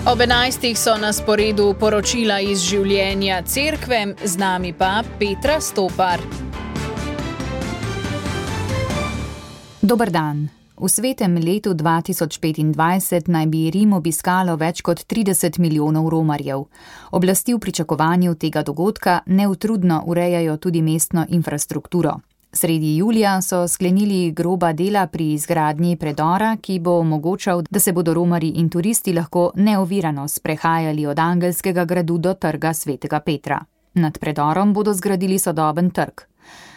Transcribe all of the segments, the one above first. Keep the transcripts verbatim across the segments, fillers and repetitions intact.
Ob enajstih so na sporedu poročila iz življenja cerkve, z nami pa Petra Stopar. Dober dan. V svetem letu dva tisoč petindvajset naj bi Rim obiskalo več kot trideset milijonov romarjev. Oblasti v pričakovanju tega dogodka neutrudno urejajo tudi mestno infrastrukturo. Sredi julija so sklenili groba dela pri izgradnji predora, ki bo omogočal, da se bodo romarji in turisti lahko neovirano sprehajali od Angelskega gradu do trga svetega Petra. Nad predorom bodo zgradili sodoben trg.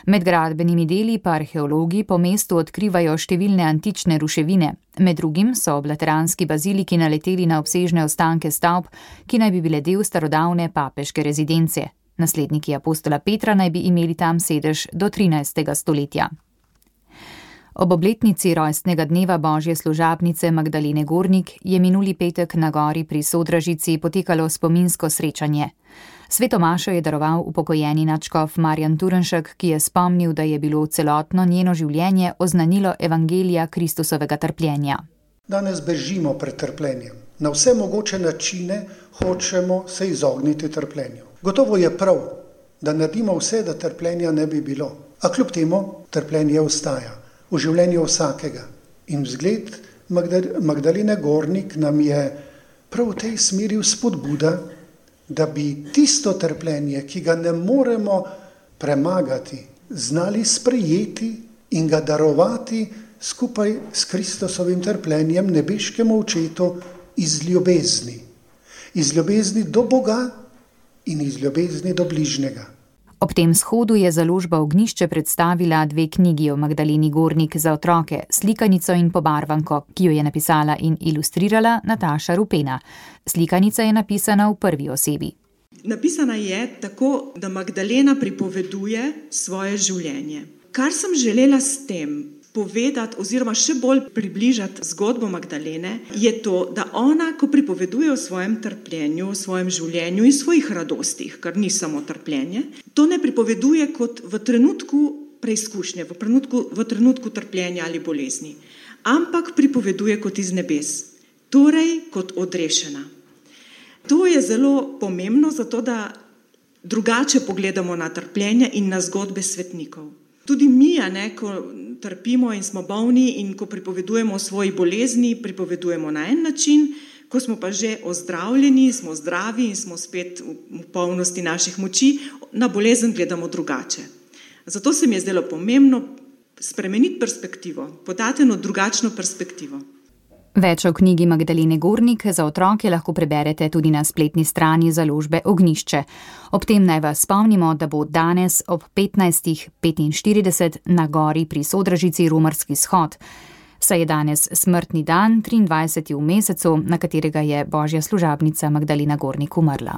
Med gradbenimi deli pa arheologi po mestu odkrivajo številne antične ruševine. Med drugim so ob lateranski baziliki naleteli na obsežne ostanke stavb, ki naj bi bile del starodavne papeške rezidence. Nasledniki apostola Petra naj bi imeli tam sedež do trinajstega stoletja. Ob obletnici rojstnega dneva božje služabnice Magdalene Gornik je minuli petek na gori pri Sodražici potekalo spominsko srečanje. Sveto mašo je daroval upokojeni nadškof Marjan Turnšek, ki je spomnil, da je bilo celotno njeno življenje oznanilo evangelija Kristusovega trpljenja. Danes bežimo pred trpljenjem. Na vse mogoče načine hočemo se izogniti trpljenju. Gotovo je prav, da naredimo vse, da trpljenja ne bi bilo. A kljub temu trpljenje ostaja v življenju vsakega. In vzgled Magdalene Gornik nam je prav v tej smeri spodbuda, da bi tisto trpljenje, ki ga ne moremo premagati, znali sprejeti in ga darovati skupaj s Kristusovim trpljenjem nebeškemu očetu iz ljubezni. Iz ljubezni do Boga in iz ljubezni do bližnjega. Ob tem shodu je založba Ognjišče predstavila dve knjigi o Magdaleni Gornik za otroke, slikanico in pobarvanko, ki jo je napisala in ilustrirala Nataša Rupena. Slikanica je napisana v prvi osebi. Napisana je tako, da Magdalena pripoveduje svoje življenje. Kar sem želela s tem povedati oziroma še bolj približati zgodbo Magdalene, je to, da ona, ko pripoveduje o svojem trpljenju, o svojem življenju in svojih radostih, kar ni samo trpljenje, to ne pripoveduje kot v trenutku preizkušnje, v trenutku, v trenutku trpljenja ali bolezni, ampak pripoveduje kot iz nebes, torej kot odrešena. To je zelo pomembno, zato da drugače pogledamo na trpljenje in na zgodbe svetnikov. Tudi mi, a ne, ko trpimo in smo bolni in ko pripovedujemo o svoji bolezni, pripovedujemo na en način, ko smo pa že ozdravljeni, smo zdravi in smo spet v polnosti naših moči, na bolezen gledamo drugače. Zato se mi je zdelo pomembno spremeniti perspektivo, podati eno drugačno perspektivo. Več o knjigi Magdalene Gornik za otroke lahko preberete tudi na spletni strani založbe Ognjišče. Ob tem naj vas spomnimo, da bo danes ob petnajstih petinštirideset na gori pri Sodražici romarski shod. Saj je danes smrtni dan, triindvajseti v mesecu, na katerega je božja služabnica Magdalena Gornik umrla.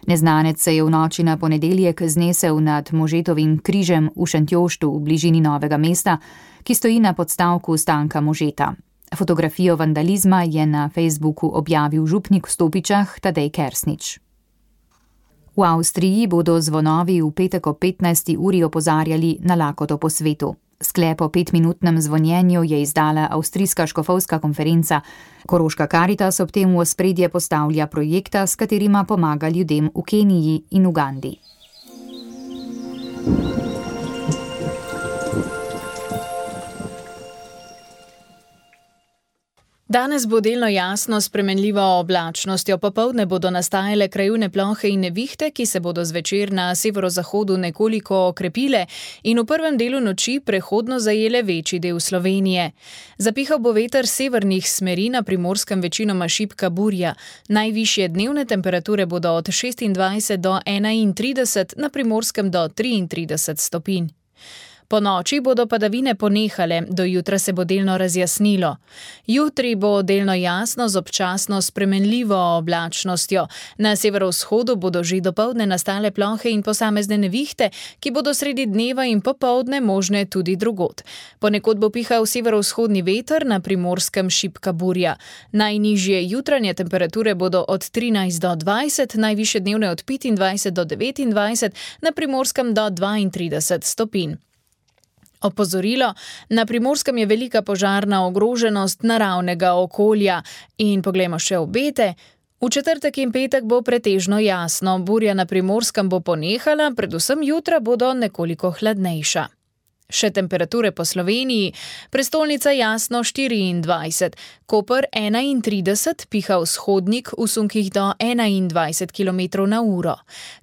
Neznanec se je v noči na ponedeljek znesel nad Možetovim križem v Šentjoštu v bližini Novega mesta, ki stoji na podstavku Stanka Možeta. Fotografijo vandalizma je na Facebooku objavil župnik v Stopičah Tadej Kersnič. V Avstriji bodo zvonovi v petek ob petnajsti uri opozarjali na lakoto po svetu. Sklep o petminutnem zvonjenju je izdala Avstrijska škofovska konferenca. Koroška Karitas ob tem v ospredje postavlja projekta, s katerima pomaga ljudem v Keniji in Ugandi. Danes bo delno jasno spremenljivo oblačnostjo, popoldne bodo nastajale krajevne plohe in nevihte, ki se bodo zvečer na severozahodu nekoliko okrepile in v prvem delu noči prehodno zajele večji del Slovenije. Zapihal bo veter severnih smeri, na Primorskem večinoma šibka burja. Najvišje dnevne temperature bodo od šestindvajset do enaintrideset, na Primorskem do triintrideset stopinj. Po noči bodo padavine ponehale, do jutra se bo delno razjasnilo. Jutri bo delno jasno z občasno spremenljivo oblačnostjo. Na severovzhodu bodo že dopoldne nastale plohe in posamezne nevihte, ki bodo sredi dneva in popoldne možne tudi drugod. Ponekod bo pihal severovzhodni veter, na Primorskem šibka burja. Najnižje jutranje temperature bodo od trinajst do dvajset, najvišje dnevne od petindvajset do devetindvajset, na Primorskem do dvaintrideset stopinj. Opozorilo, na Primorskem je velika požarna ogroženost naravnega okolja. In poglejmo še obete. V četrtek in petek bo pretežno jasno, burja na Primorskem bo ponehala, predvsem jutra bodo nekoliko hladnejša. Še temperature po Sloveniji, prestolnica jasno štiriindvajset, Koper enaintrideset, piha vzhodnik v sunkih do enaindvajset kilometrov na uro,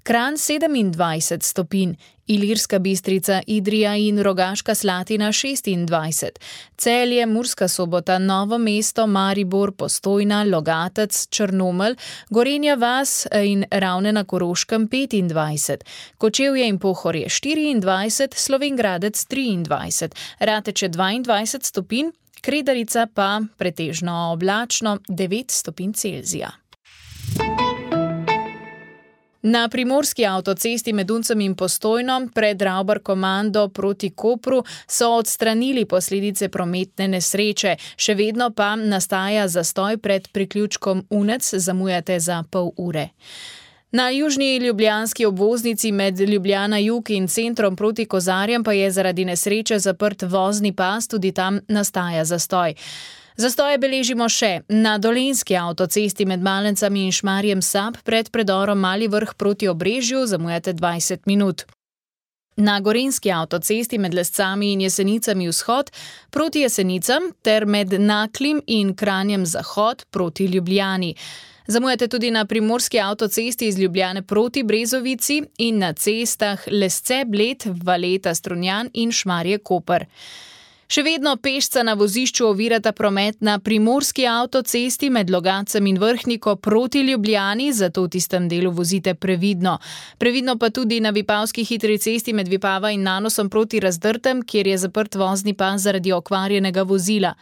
Kranj sedemindvajset stopinj, Ilirska Bistrica, Idrija in Rogaška Slatina šestindvajset, Celje, Murska Sobota, Novo mesto, Maribor, Postojna, Logatec, Črnomelj, Gorenja vas in Ravne na Koroškem petindvajset, Kočevje in Pohorje štiriindvajset, Slovenj Gradec triindvajset, Rateče dvaindvajset stopinj, Kredarica pa pretežno oblačno devet stopinj Celzija. Na primorski avtocesti med Uncem in Postojno pred Ravbar komando proti Kopru so odstranili posledice prometne nesreče, še vedno pa nastaja zastoj pred priključkom Unec, zamujate za pol ure. Na južni ljubljanski obvoznici med Ljubljana jug in centrom proti Kozarjem pa je zaradi nesreče zaprt vozni pas, tudi tam nastaja zastoj. Zastoje beležimo še na dolenjski avtocesti med Malencami in Šmarjem Sab pred predorom Mali Vrh proti Obrežju, zamujate dvajset minut. Na gorenjski avtocesti med Lescami in Jesenicami vzhod proti Jesenicam ter med Naklim in Kranjem zahod proti Ljubljani. Zamujate tudi na primorski avtocesti iz Ljubljane proti Brezovici in na cestah Lesce, Bled, Valeta, Strunjan in Šmarje Koper. Še vedno pešca na vozišču ovirata promet na primorski avtocesti med Logatcem in Vrhniko proti Ljubljani, zato v tistem delu vozite previdno. Previdno pa tudi na Vipavski hitri cesti med Vipava in Nanosom proti Razdrtem, kjer je zaprt vozni pas zaradi okvarjenega vozila.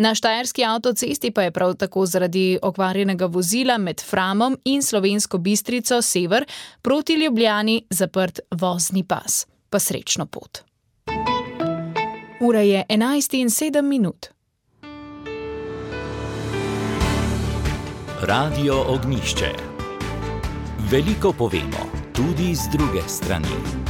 Na štajerski avtocesti pa je prav tako zaradi okvarjenega vozila med Framom in Slovensko Bistrico sever proti Ljubljani zaprt vozni pas. Pa srečno pot. Ura je enajst in sedem minut. Radio Ognjišče. Veliko povemo, tudi z druge strani.